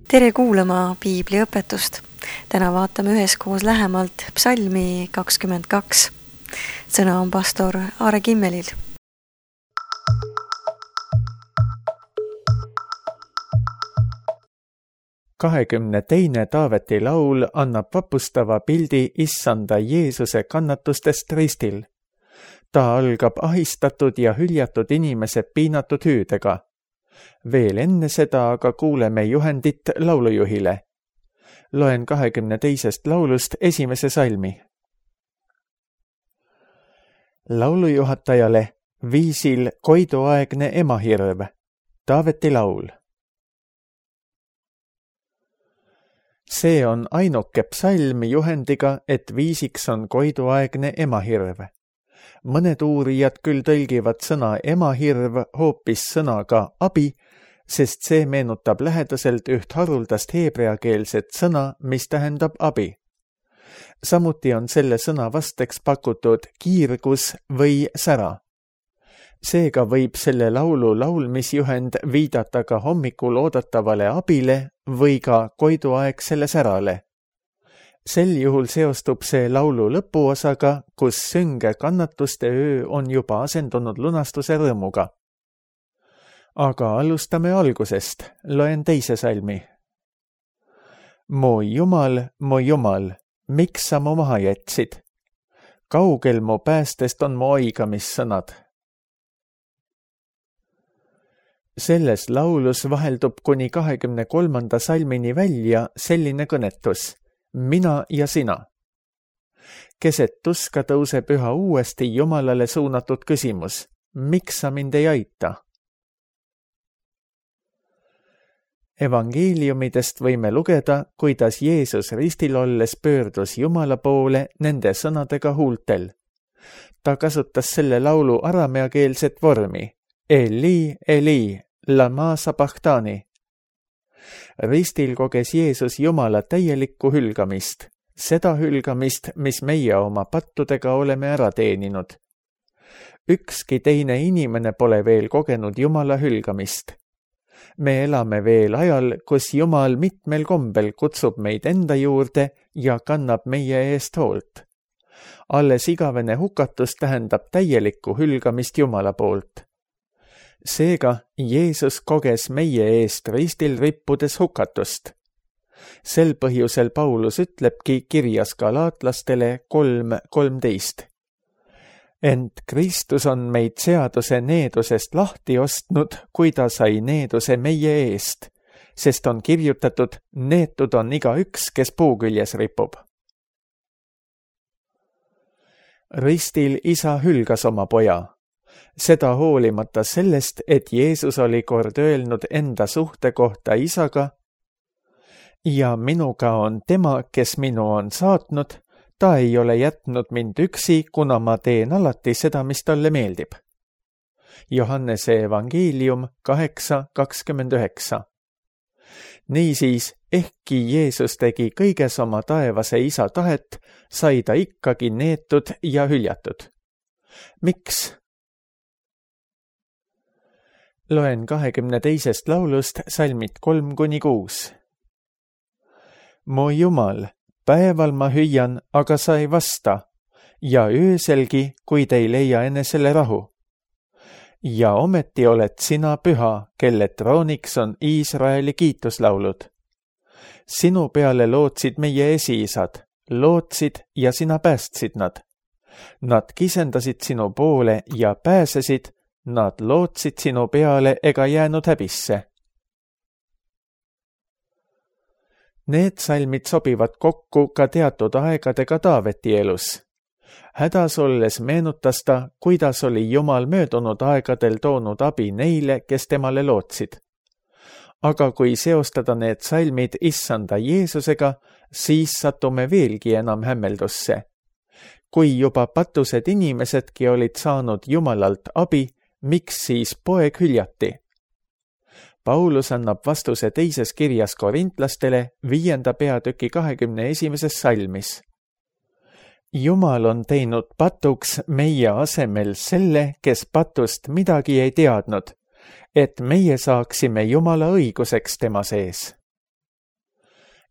Tere kuulama piibliõpetust. Täna vaatame üheskoos lähemalt psalmi 22. Sõna on pastor Aare Kimmelil. Teine Taaveti laul annab vapustava pildi issanda Jeesuse kannatustest ristil. Ta algab ahistatud ja hüljatud inimese piinatud hüüdega. Veel enne seda aga kuuleme juhendit laulujuhile. Loen 22. laulust esimese salmi. Laulujuhatajale viisil koiduaegne emahirv. Taaveti laul. See on ainuke psalm juhendiga, et viisiks on koiduaegne emahirv. Mõned uurijad küll tõlgivad sõna emahirv hoopis sõnaga abi, sest see meenutab lähedaselt üht haruldast heebreakeelset sõna, mis tähendab abi. Samuti on selle sõna vasteks pakutud kiirgus või sära. Seega võib selle laulu laulmisjuhend viidata ka hommikul oodatavale abile või ka koiduaegsele särale. Sel juhul seostub see laulu lõpuosaga, kus sünge kannatuste öö on juba asendunud lunastuse rõõmuga. Aga alustame algusest, loen teise salmi. Mu Jumal, miks sa mu maha jätsid? Kaugel mu päästest on mu oigamissõnad. Selles laulus vaheldub kuni 23. salmini välja selline kõnetus. Mina ja sina. Keset tuska tõuseb üha uuesti Jumalale suunatud küsimus. Miks sa mind ei aita? Evangeeliumidest võime lugeda, kuidas Jeesus ristil olles pöördus Jumala poole nende sõnadega huultel. Ta kasutas selle laulu arameakeelset vormi. Eli, Eli, lama sabachthani. Ristil koges Jeesus Jumala täielikku hülgamist, seda hülgamist, mis meie oma pattudega oleme ära teeninud. Ükski teine inimene pole veel kogenud Jumala hülgamist. Me elame veel ajal, kus Jumal mitmel kombel kutsub meid enda juurde ja kannab meie eest hoolt. Alles igavene hukatus tähendab täielikku hülgamist Jumala poolt. Seega Jeesus koges meie eest ristil rippudes hukatust. Sel põhjusel Paulus ütlebki kirjas galaatlastele 3:13. Ent Kristus on meid seaduse needusest lahti ostnud, kui ta sai needuse meie eest, sest on kirjutatud, neetud on igaüks, kes puu küljes ripub. Ristil isa hülgas oma poja. Seda hoolimata sellest, et Jeesus oli kord öelnud enda suhte kohta isaga, ja minuga on tema, kes minu on saatnud, ta ei ole jätnud mind üksi, kuna ma teen alati seda, mis talle meeldib. Johannese evangeelium 8:29. Niisiis, ehkki Jeesus tegi kõiges oma taevase isa tahet, sai ta ikkagi neetud ja hüljatud. Miks? Loen 22. laulust salmid 3-6. Mu Jumal, päeval ma hüüan, aga sa ei vasta, ja ööselgi, kuid ei leia enesele rahu. Ja ometi oled sina püha, kelle trooniks on Iisraeli kiituslaulud. Sinu peale lootsid meie esiisad, lootsid ja sina päästsid nad. Nad kisendasid sinu poole ja pääsesid, nad lootsid sinu peale ega jäänud häbisse. Need salmid sobivad kokku ka teatud aegadega Taaveti elus. Hädas olles meenutas ta, kuidas oli Jumal möödunud aegadel toonud abi neile, kes temale lootsid. Aga kui seostada need salmid issanda Jeesusega, siis satume veelgi enam hämmeldusse. Kui juba patused inimesedki olid saanud Jumalalt abi, miks siis poeg hüljati? Paulus annab vastuse teises kirjas korintlastele 5. peatüki 21. salmis. Jumal on teinud patuks meie asemel selle, kes patust midagi ei teadnud, et meie saaksime Jumala õiguseks tema sees.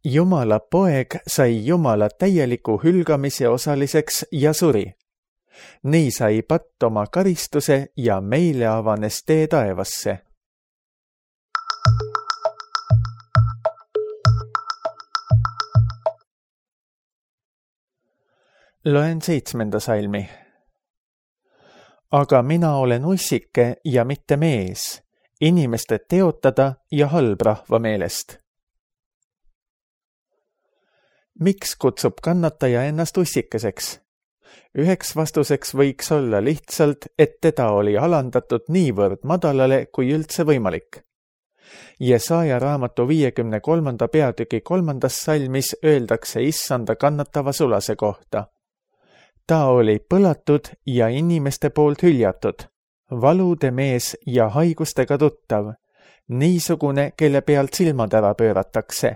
Jumala poeg sai Jumala täieliku hülgamise osaliseks ja suri. Nii sai patt oma karistuse ja meile avanes tee taevasse. Loen 7. salmi. Aga mina olen ussike ja mitte mees, inimeste teotada ja halbrahva meelest. Miks kutsub kannataja ennast ussikeseks? Üheks vastuseks võiks olla lihtsalt, et teda oli alandatud niivõrd madalale kui üldse võimalik. Jesaja raamatu 53. peatüki 3. salmis öeldakse issanda kannatava sulase kohta. Ta oli põlatud ja inimeste poolt hüljatud, valude mees ja haigustega tuttav, niisugune, kelle pealt silmad ära pööratakse.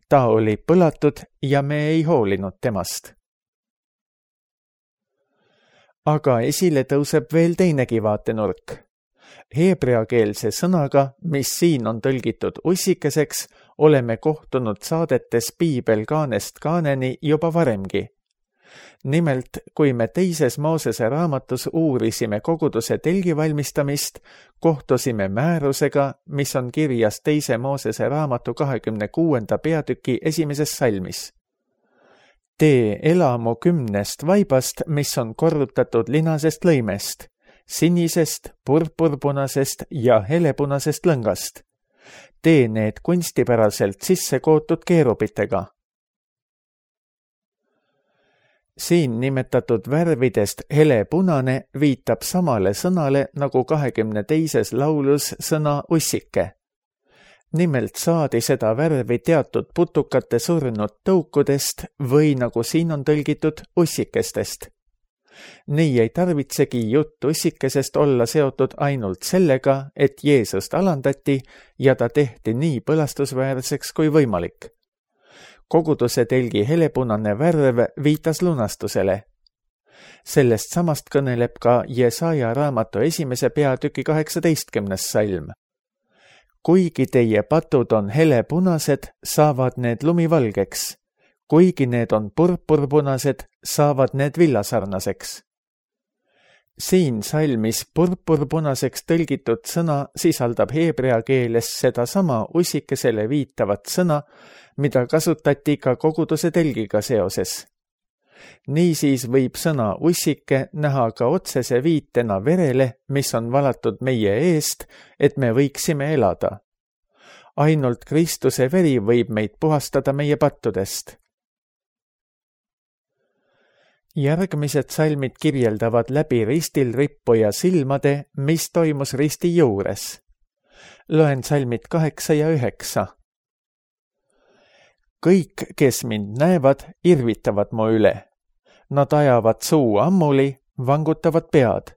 Ta oli põlatud ja me ei hoolinud temast. Aga esile tõuseb veel teinegi vaatenurk. Heebreakeelse sõnaga, mis siin on tõlgitud ussikeseks, oleme kohtunud saadetes Piibel kaanest kaaneni juba varemgi. Nimelt, kui me 2. Moosese raamatus uurisime koguduse telgi valmistamist, kohtusime määrusega, mis on kirjas 2. Moosese raamatu 26. peatüki 1. salmis. Tee elamu 10 vaibast, mis on korrutatud linasest lõimest, sinisest, purpurpunasest ja helepunasest lõngast. Tee need kunstipäraselt sisse kootud keerupitega. Siin nimetatud värvidest helepunane viitab samale sõnale nagu 22. laulus sõna ussike. Nimelt saadi seda värvi teatud putukate surnud tõukudest või nagu siin on tõlgitud ussikestest. Nii ei tarvitsegi jutt ussikesest olla seotud ainult sellega, et Jeesust alandati ja ta tehti nii põlastusväärseks kui võimalik. Koguduse telgi helepunane värv viitas lunastusele. Sellest samast kõneleb ka Jesaja raamatu 1. peatüki 18. salm. Kuigi teie patud on helepunased, saavad need lumivalgeks. Kuigi need on purpurpunased, saavad need villasarnaseks. Siin salmis purpurpunaseks tõlgitud sõna sisaldab heebrea keeles sedasama ussikesele viitavat sõna, mida kasutati ka koguduse telgiga seoses. Niisiis võib sõna ussike näha ka otsese viitena verele, mis on valatud meie eest, et me võiksime elada. Ainult Kristuse veri võib meid puhastada meie pattudest. Järgmised salmid kirjeldavad läbi ristil rippuja silmade, mis toimus risti juures. Loen salmid 8 ja 9. Kõik, kes mind näevad, irvitavad mu üle. Nad ajavad suu ammuli, vangutavad pead.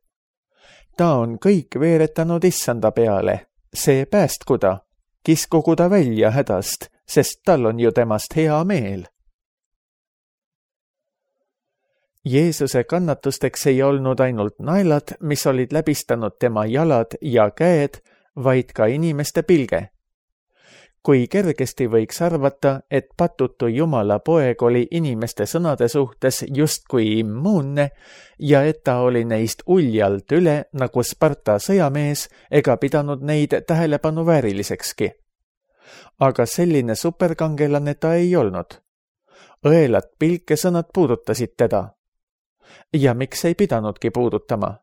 Ta on kõik veeretanud issanda peale, see päästku ta, kiskugu ta välja hädast, sest tal on ju temast hea meel. Jeesuse kannatusteks ei olnud ainult naelad, mis olid läbistanud tema jalad ja käed, vaid ka inimeste pilge. Kui kergesti võiks arvata, et patutu Jumala poeg oli inimeste sõnade suhtes justkui immuunne ja et ta oli neist uljalt üle nagu Sparta sõjamees ega pidanud neid tähelepanu vääriliksekski. Aga selline superkangelane ta ei olnud. Õelad pilkesõnad puudutasid teda. Ja miks ei pidanudki puudutama?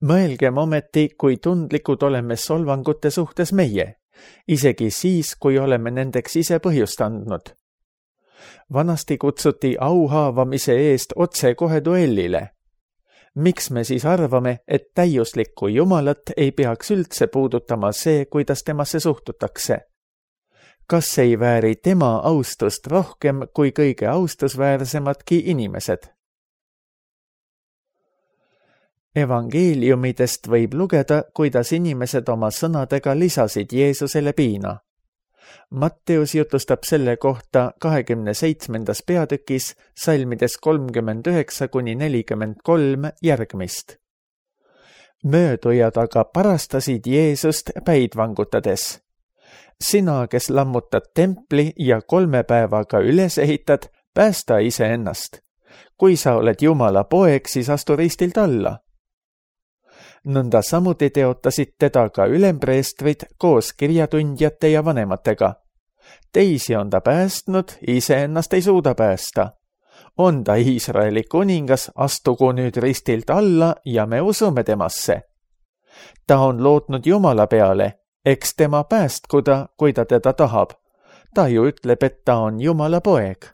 Mõelgem ometi, kui tundlikud oleme solvangute suhtes meie, isegi siis, kui oleme nendeks ise põhjust andnud. Vanasti kutsuti auhaavamise eest otse kohe duellile. Miks me siis arvame, et täiuslikku Jumalat ei peaks üldse puudutama see, kuidas temasse suhtutakse? Kas ei vääri tema austust rohkem kui kõige austusväärsemadki inimesed? Evangeeliumidest võib lugeda, kuidas inimesed oma sõnadega lisasid Jeesusele piina. Matteus jutustab selle kohta 27. peatükis salmides 39–43 järgmist. Möödujad aga parastasid Jeesust päid vangutades. Sina, kes lammutad templi ja 3 päevaga üles ehitad, päästa iseennast. Kui sa oled Jumala poeg, siis astu ristilt alla. Nõnda samuti teotasid teda ka ülempreestrid koos kirjatundjate ja vanematega. Teisi on ta päästnud, iseennast ei suuda päästa. On ta Iisraeli kuningas, astugu nüüd ristilt alla ja me usume temasse. Ta on lootnud Jumala peale, eks tema päästku ta, kui ta teda tahab. Ta ju ütleb, et ta on Jumala poeg.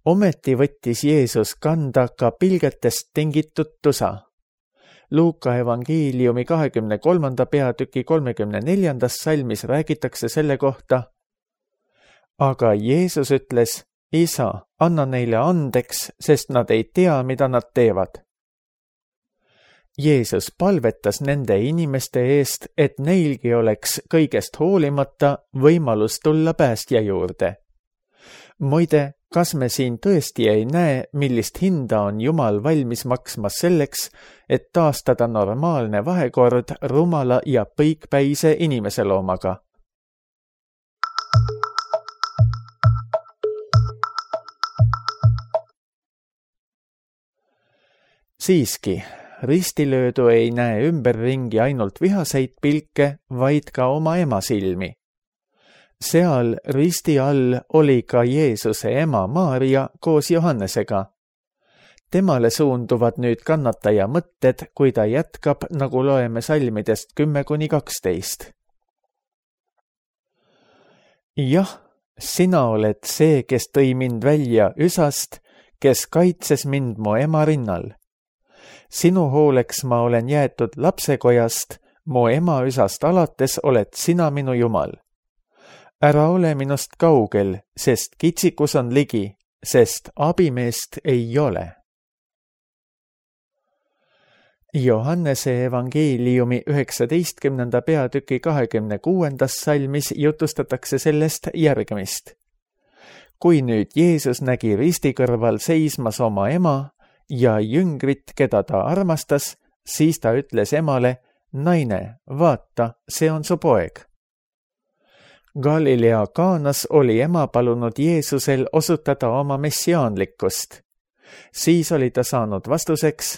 Ometi võttis Jeesus kanda ka pilgetest tingitud tusa. Luuka evangeeliumi 23. peatüki 34. salmis räägitakse selle kohta. Aga Jeesus ütles, Isa, anna neile andeks, sest nad ei tea, mida nad teevad. Jeesus palvetas nende inimeste eest, et neilgi oleks kõigest hoolimata võimalus tulla päästja juurde. Muide, kas me siin tõesti ei näe, millist hinda on Jumal valmis maksma selleks, et taastada normaalne vahekord rumala ja põikpäise inimeseloomaga? Siiski, ristilöödu ei näe ümberringi ainult vihaseid pilke, vaid ka oma ema silmi. Seal risti all oli ka Jeesuse ema Maarja koos Johannesega. Temale suunduvad nüüd kannataja mõtted, kui ta jätkab, nagu loeme salmidest 10-12. Jah, sina oled see, kes tõi mind välja üsast, kes kaitses mind mu ema rinnal. Sinu hooleks ma olen jäetud lapsekojast, mu ema üsast alates oled sina minu Jumal. Ära ole minust kaugel, sest kitsikus on ligi, sest abimeest ei ole. Johannese evangeeliumi 19. peatüki 26. salmis jutustatakse sellest järgmist. Kui nüüd Jeesus nägi risti kõrval seismas oma ema ja jüngrit, keda ta armastas, siis ta ütles emale, naine, vaata, see on su poeg. Galilea Kaanas oli ema palunud Jeesusel osutada oma messiaanlikkust. Siis oli ta saanud vastuseks,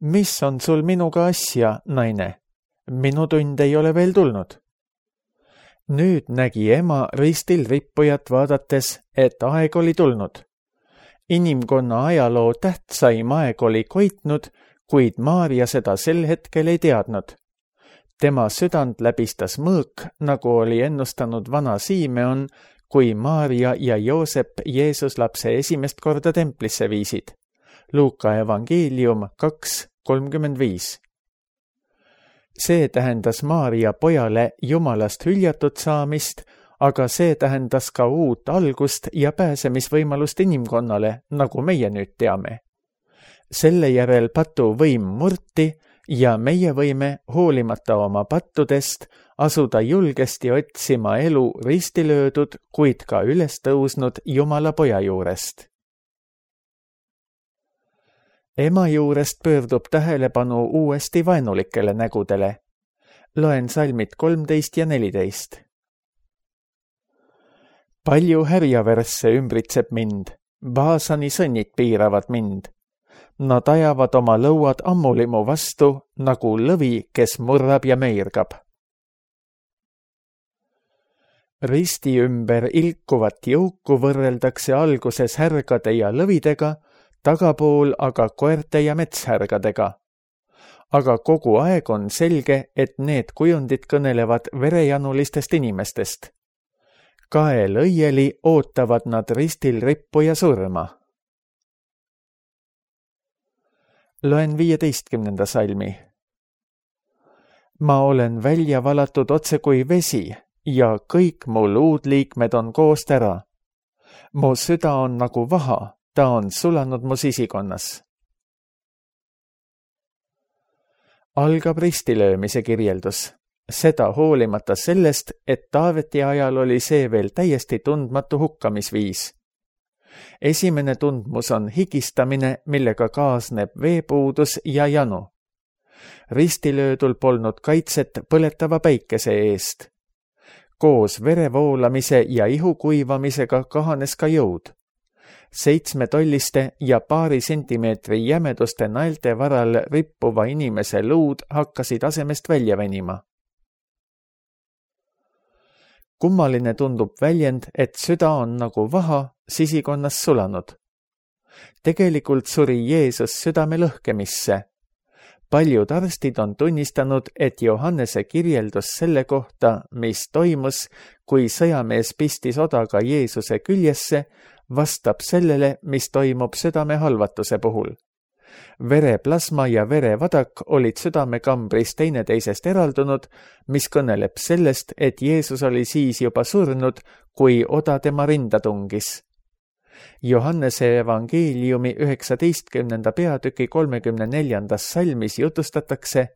mis on sul minuga asja, naine? Minu tund ei ole veel tulnud. Nüüd nägi ema ristil rippujat vaadates, et aeg oli tulnud. Inimkonna ajaloo tähtsaim aeg oli koitnud, kuid Maarja seda sel hetkel ei teadnud. Tema südant läbistas mõõk, nagu oli ennustanud vana Siimeon, kui Maarja ja Joosep Jeesus lapse esimest korda templisse viisid. Luuka evangeelium 2:35. See tähendas Maarja pojale Jumalast hüljatud saamist, aga see tähendas ka uut algust ja pääsemisvõimalust inimkonnale, nagu meie nüüd teame. Selle järel patu võim murti ja meie võime, hoolimata oma pattudest, asuda julgesti otsima elu ristilöödud, kuid ka üles tõusnud Jumala poja juurest. Ema juurest pöördub tähelepanu uuesti vaenulikele nägudele. Loen salmid 13 ja 14. Palju härjavärsse ümbritseb mind, Baasani sõnnid piiravad mind. Nad ajavad oma lõuad ammulimu vastu, nagu lõvi, kes murrab ja meirgab. Risti ümber ilkuvat jõuku võrreldakse alguses härgade ja lõvidega, tagapool aga koerte ja metshärgadega. Aga kogu aeg on selge, et need kujundid kõnelevad verejanulistest inimestest. Kael õieli ootavad nad ristil rippuja surma. Loen 15. salmi. Ma olen välja valatud otse kui vesi ja kõik mu luudliikmed on koost ära. Mu süda on nagu vaha, ta on sulanud mu sisikonnas. Algab ristilöömise kirjeldus. Seda hoolimata sellest, et Taaveti ajal oli see veel täiesti tundmatu hukkamisviis. Esimene tundmus on higistamine, millega kaasneb veepuudus ja janu. ristilöödul polnud kaitset põletava päikese eest. Koos vere voolamise ja ihu kuivamisega kahanes ka jõud. 7-tolliste ja paari sentimeetri jämeduste naelte varal rippuva inimese luud hakkasid asemest välja venima. Kummaline tundub väljend, et süda on nagu vaha sisikonnas sulanud. Tegelikult suri Jeesus südame lõhkemisse. Paljud arstid on tunnistanud, et Johannese kirjeldus selle kohta, mis toimus, kui sõjamees pistis odaga Jeesuse küljesse, vastab sellele, mis toimub südame halvatuse puhul. Vereplasma ja verevadak olid südamekambris teineteisest eraldunud, mis kõneleb sellest, et Jeesus oli siis juba surnud, kui oda tema rinda tungis. Johannese evangeeliumi 19. peatüki 34. salmis jutustatakse: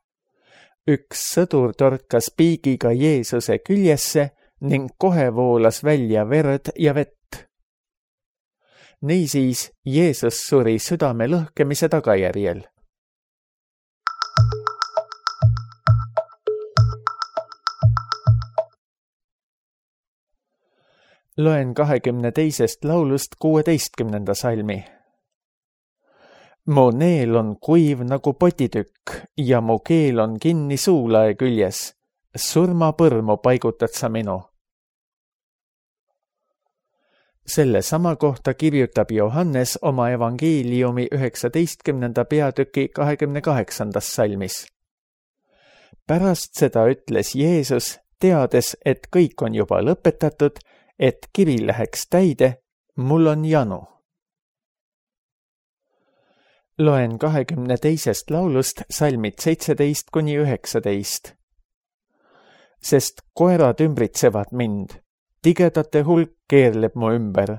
üks sõdur torkas piigiga Jeesuse küljesse ning kohe voolas välja verd ja vett. Niisiis Jeesus suri südame lõhkemise tagajärjel. Loen 22. laulust 16. salmi. Mu neel on kuiv nagu potitükk ja mu keel on kinni suulae küljes. Surmapõrmu paigutad sa minu. Selle sama kohta kirjutab Johannes oma evangeeliumi 19. peatüki 28. salmis. Pärast seda ütles Jeesus, teades, et kõik on juba lõpetatud, et kiri läheks täide, mul on janu. Loen 22. laulust salmid 17-19. Sest koerad ümbritsevad mind, tigedate hulk keerleb mu ümber.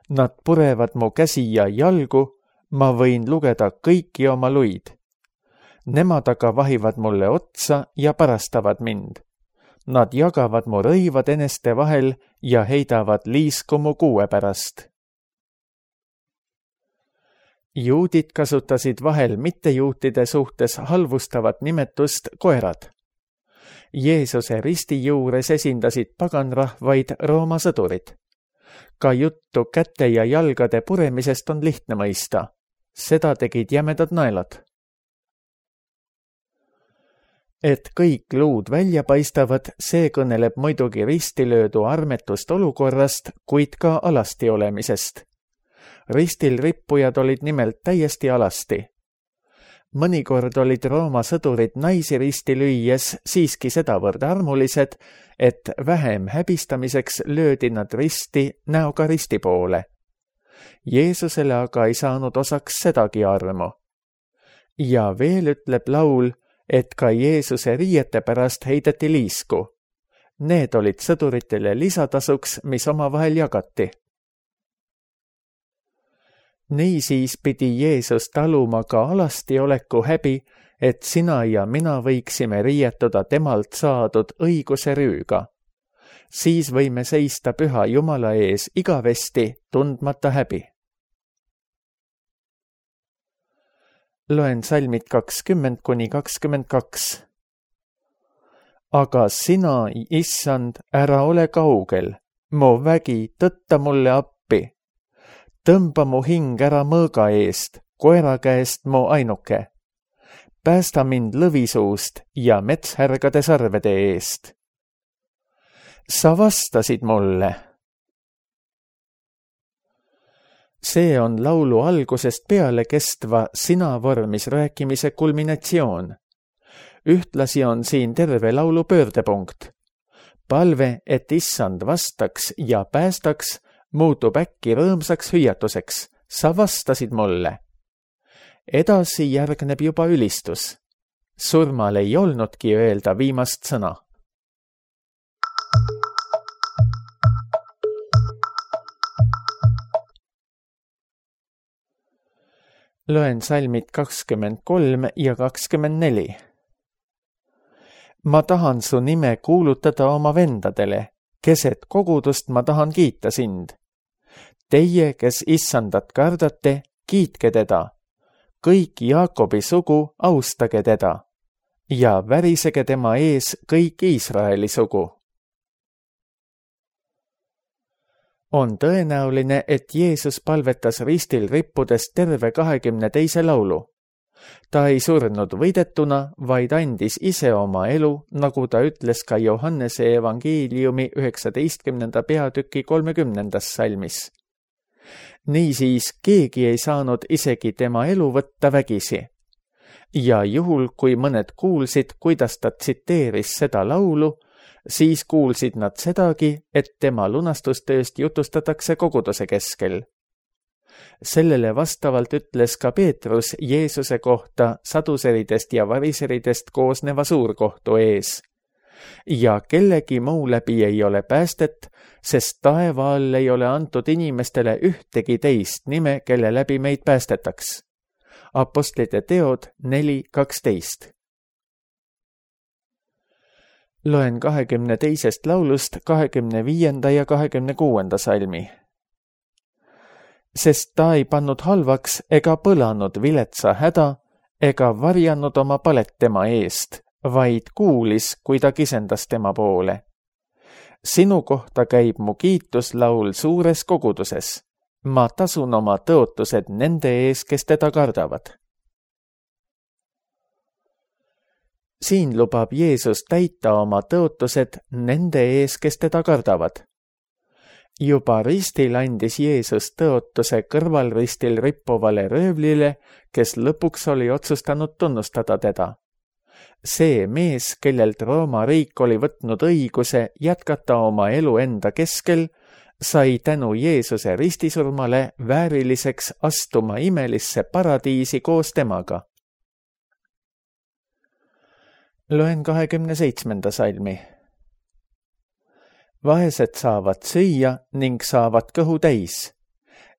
Nad purevad mu käsi ja jalgu, ma võin lugeda kõiki oma luid. Nemad aga vahivad mulle otsa ja parastavad mind. Nad jagavad mu rõivad eneste vahel ja heidavad liisku mu kuue pärast. Juudid kasutasid vahel mittejuutide suhtes halvustavat nimetust koerad. Jeesuse risti juures esindasid paganrahvaid Rooma sõdurid. Ka juttu käte ja jalgade puremisest on lihtne mõista. Seda tegid jämedad naelad. Et kõik luud välja paistavad, see kõneleb muidugi ristilöödu armetust olukorrast, kuid ka alasti olemisest. Ristil rippujad olid nimelt täiesti alasti. Mõnikord olid Rooma sõdurid naisi risti lüües siiski sedavõrd armulised, et vähem häbistamiseks löödi nad risti näoga risti poole. Jeesusele aga ei saanud osaks sedagi armu. Ja veel ütleb laul, et ka Jeesuse riiete pärast heideti liisku. Need olid sõduritele lisatasuks, mis omavahel jagati. Niisiis pidi Jeesus taluma ka alasti oleku häbi, et sina ja mina võiksime riietuda temalt saadud õiguse rüüga. Siis võime seista püha Jumala ees igavesti, tundmata häbi. Loen salmid 20-22. Aga sina, Issand, ära ole kaugel, mu vägi, tõtta mulle appi. Tõmba mu hing ära mõõga eest, koera käest mu ainuke. Päästa mind lõvisuust ja metshärgade sarvede eest. Sa vastasid mulle. See on laulu algusest peale kestva sina vormis rääkimise kulminatsioon. Ühtlasi on siin terve laulu pöördepunkt. Palve, et Issand vastaks ja päästaks, muutub äkki rõõmsaks hüüatuseks. Sa vastasid mulle. Edasi järgneb juba ülistus. Surmal ei olnudki öelda viimast sõna. Loen salmid 23 ja 24. Ma tahan su nime kuulutada oma vendadele, keset kogudust ma tahan kiita sind. Teie, kes Issandat kardate, kiitke teda. Kõik Jaakobi sugu, austage teda. ja värisege tema ees kõik Iisraeli sugu. On tõenäoline, et Jeesus palvetas ristil rippudes terve 22. laulu. Ta ei surnud võidetuna, vaid andis ise oma elu, nagu ta ütles ka Johannese evangeeliumi 19. peatüki 30. salmis. Niisiis keegi ei saanud isegi tema elu võtta vägisi. Ja juhul, kui mõned kuulsid, kuidas ta tsiteeris seda laulu, siis kuulsid nad sedagi, et tema lunastustööst jutustatakse koguduse keskel. Sellele vastavalt ütles ka Peetrus Jeesuse kohta saduseridest ja variseridest koosneva suurkohtu ees. Ja kellegi muu läbi ei ole päästet, sest taeva all ei ole antud inimestele ühtegi teist nime, kelle läbi meid päästetaks. Apostlite teod 4:12. Loen 22. laulust 25. ja 26. salmi. Sest ta ei pannud halvaks ega põlanud viletsa häda ega varjanud oma palet tema eest, vaid kuulis, kui ta kisendas tema poole. Sinu kohta käib mu kiituslaul suures koguduses. Ma tasun oma tõotused nende ees, kes teda kardavad. Siin lubab Jeesus täita oma tõotused nende ees, kes teda kardavad. Juba ristil andis Jeesus tõotuse kõrvalristil rippuvale röövlile, kes lõpuks oli otsustanud tunnustada teda. See mees, kellelt Rooma riik oli võtnud õiguse jätkata oma elu enda keskel, sai tänu Jeesuse ristisurmale vääriliseks astuma imelisse paradiisi koos temaga. Loen 27. salmi. Vaesed saavad süüa ning saavad kõhu täis.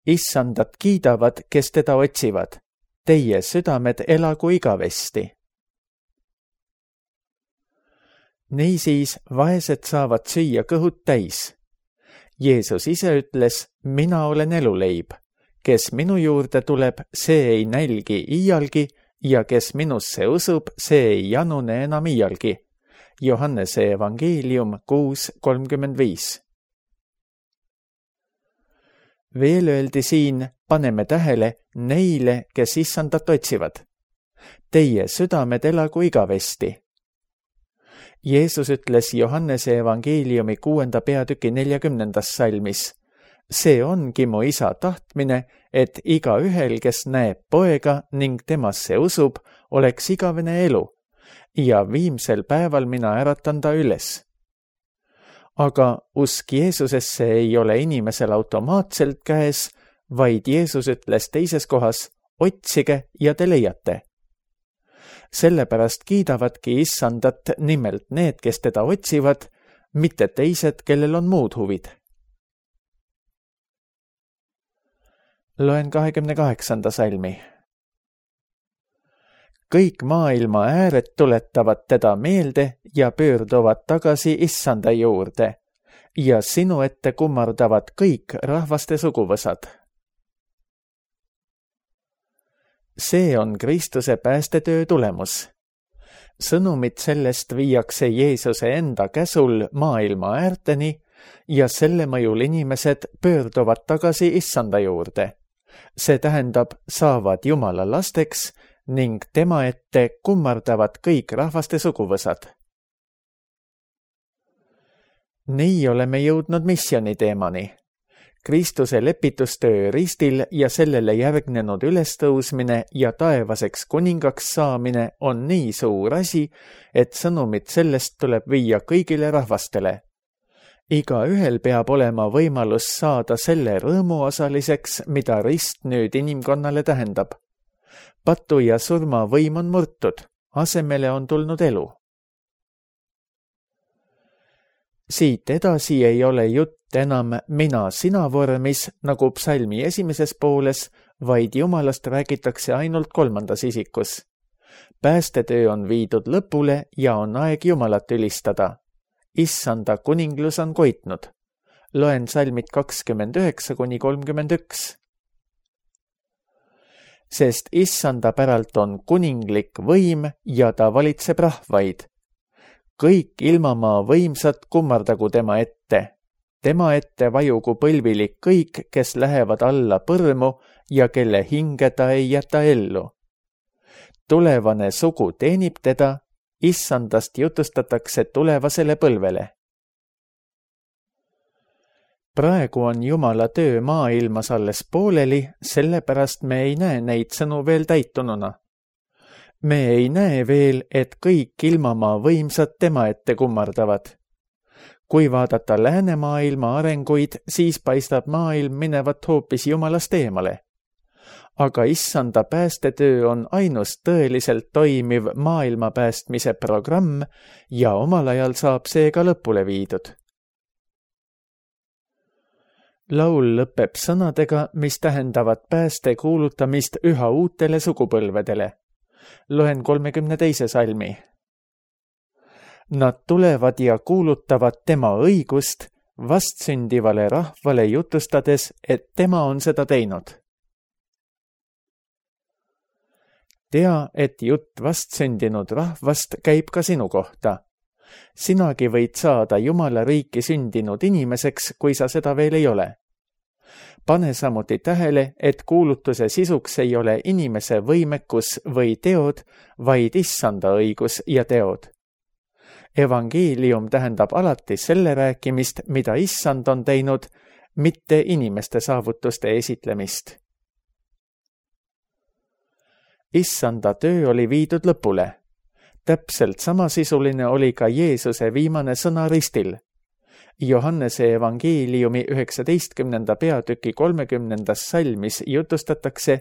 Issandat kiidavad, kes teda otsivad. Teie südamed elagu igavesti. Niisiis vaesed saavad süüa kõhud täis. Jeesus ise ütles, mina olen eluleib. Kes minu juurde tuleb, see ei nälgi iialgi ja kes minusse usub, see ei janune enam iialgi. Johannese evangeelium 6:35. Veel öeldi siin, paneme tähele neile, kes issandat otsivad. Teie südamed elagu igavesti. Jeesus ütles Johannese evangeeliumi 6. peatüki 40. salmis. See ongi mu isa tahtmine, et igaühel, kes näeb poega ning temasse usub, oleks igavene elu ja viimsel päeval mina äratan ta üles. Aga usk Jeesusesse ei ole inimesel automaatselt käes, vaid Jeesus ütles teises kohas, otsige ja te leiate. Sellepärast kiidavadki issandat nimelt need, kes teda otsivad, mitte teised, kellel on muud huvid. Loen 28. salmi. Kõik maailma ääred tuletavad teda meelde ja pöörduvad tagasi issanda juurde ja sinu ette kummardavad kõik rahvaste suguvõsad. See on Kristuse päästetöö tulemus. Sõnumid sellest viiakse Jeesuse enda käsul maailma äärteni ja selle mõjul inimesed pöörduvad tagasi issanda juurde. See tähendab, saavad Jumala lasteks ning tema ette kummardavad kõik rahvaste suguvõsad. Nii oleme jõudnud missiooni teemani. Kristuse lepitustöö ristil ja sellele järgnenud ülestõusmine ja taevaseks kuningaks saamine on nii suur asi, et sõnumid sellest tuleb viia kõigile rahvastele. Igaühel peab olema võimalus saada selle rõõmu osaliseks, mida rist nüüd inimkonnale tähendab. Patu ja surma võim on murtud, asemele on tulnud elu. Siit edasi ei ole jutt enam mina-sina vormis, nagu psalmi esimeses pooles, vaid Jumalast räägitakse ainult 3. isikus. Päästetöö on viidud lõpule ja on aeg Jumalat ülistada. Issanda kuninglus on koitnud. Loen salmid 29-31. sest issanda päralt on kuninglik võim ja ta valitseb rahvaid. Kõik ilmamaa võimsad kummardagu tema ette. Tema ette vajugu põlvilik kõik, kes lähevad alla põrmu ja kelle hinge ta ei jäta ellu. Tulevane sugu teenib teda, issandast jutustatakse tulevasele põlvele. Praegu on Jumala töö maailmas alles pooleli, sellepärast me ei näe neid sõnu veel täitununa. Me ei näe veel, et kõik ilmamaa võimsad tema ette kummardavad. Kui vaadata läänemaailma arenguid, siis paistab maailm minevat hoopis Jumalast eemale. Aga issanda päästetöö on ainus tõeliselt toimiv maailma päästmise programm ja omal ajal saab see ka lõpule viidud. Laul lõpeb sõnadega, mis tähendavad pääste kuulutamist üha uutele sugupõlvedele. Loen 32. salmi. Nad tulevad ja kuulutavad tema õigust vastsündivale rahvale jutustades, et tema on seda teinud. Tea, et jutt vastsündinud rahvast käib ka sinu kohta. Sinagi võid saada Jumala riiki sündinud inimeseks, kui sa seda veel ei ole. Pane samuti tähele, et kuulutuse sisuks ei ole inimese võimekus või teod, vaid issanda õigus ja teod. Evangeelium tähendab alati selle rääkimist, mida issand on teinud, mitte inimeste saavutuste esitlemist. Issanda töö oli viidud lõpule. Täpselt samasisuline oli ka Jeesuse viimane sõna ristil. Johannese evangeeliumi 19. peatüki 30. salmis jutustatakse,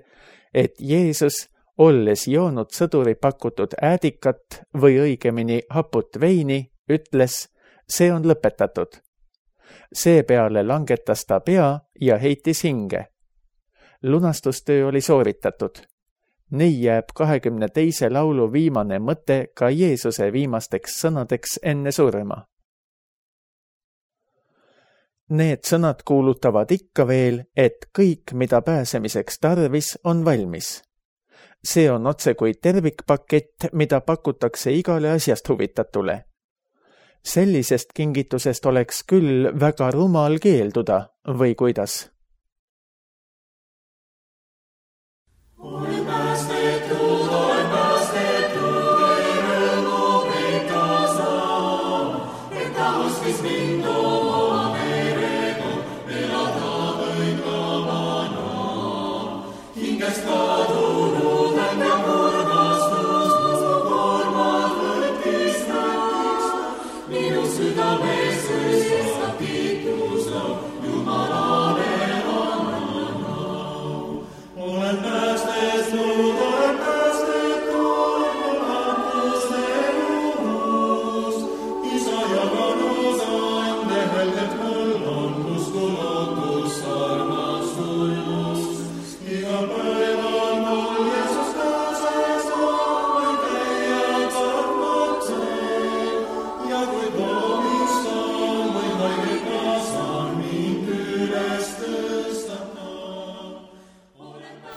et Jeesus, olles joonud sõduri pakutud äädikat või õigemini haput veini, ütles, see on lõpetatud. Seepeale langetas ta pea ja heitis hinge. Lunastustöö oli sooritatud. Nii jääb 22. laulu viimane mõte ka Jeesuse viimasteks sõnadeks enne surma. Need sõnad kuulutavad ikka veel, et kõik, mida pääsemiseks tarvis, on valmis. See on otse kui tervikpakett, mida pakutakse igale asjast huvitatule. Sellisest kingitusest oleks küll väga rumal keelduda, või kuidas?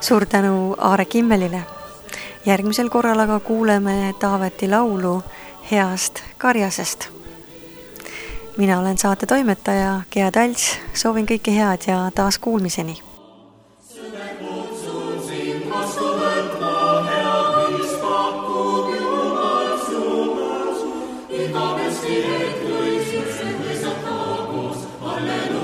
Suur tänu Aare Kimmelile. Järgmisel korral aga kuuleme Taaveti laulu Heast karjasest. Mina olen saate toimetaja Gea Talts, soovin kõike head ja taas kuulmiseni. Halleluuja.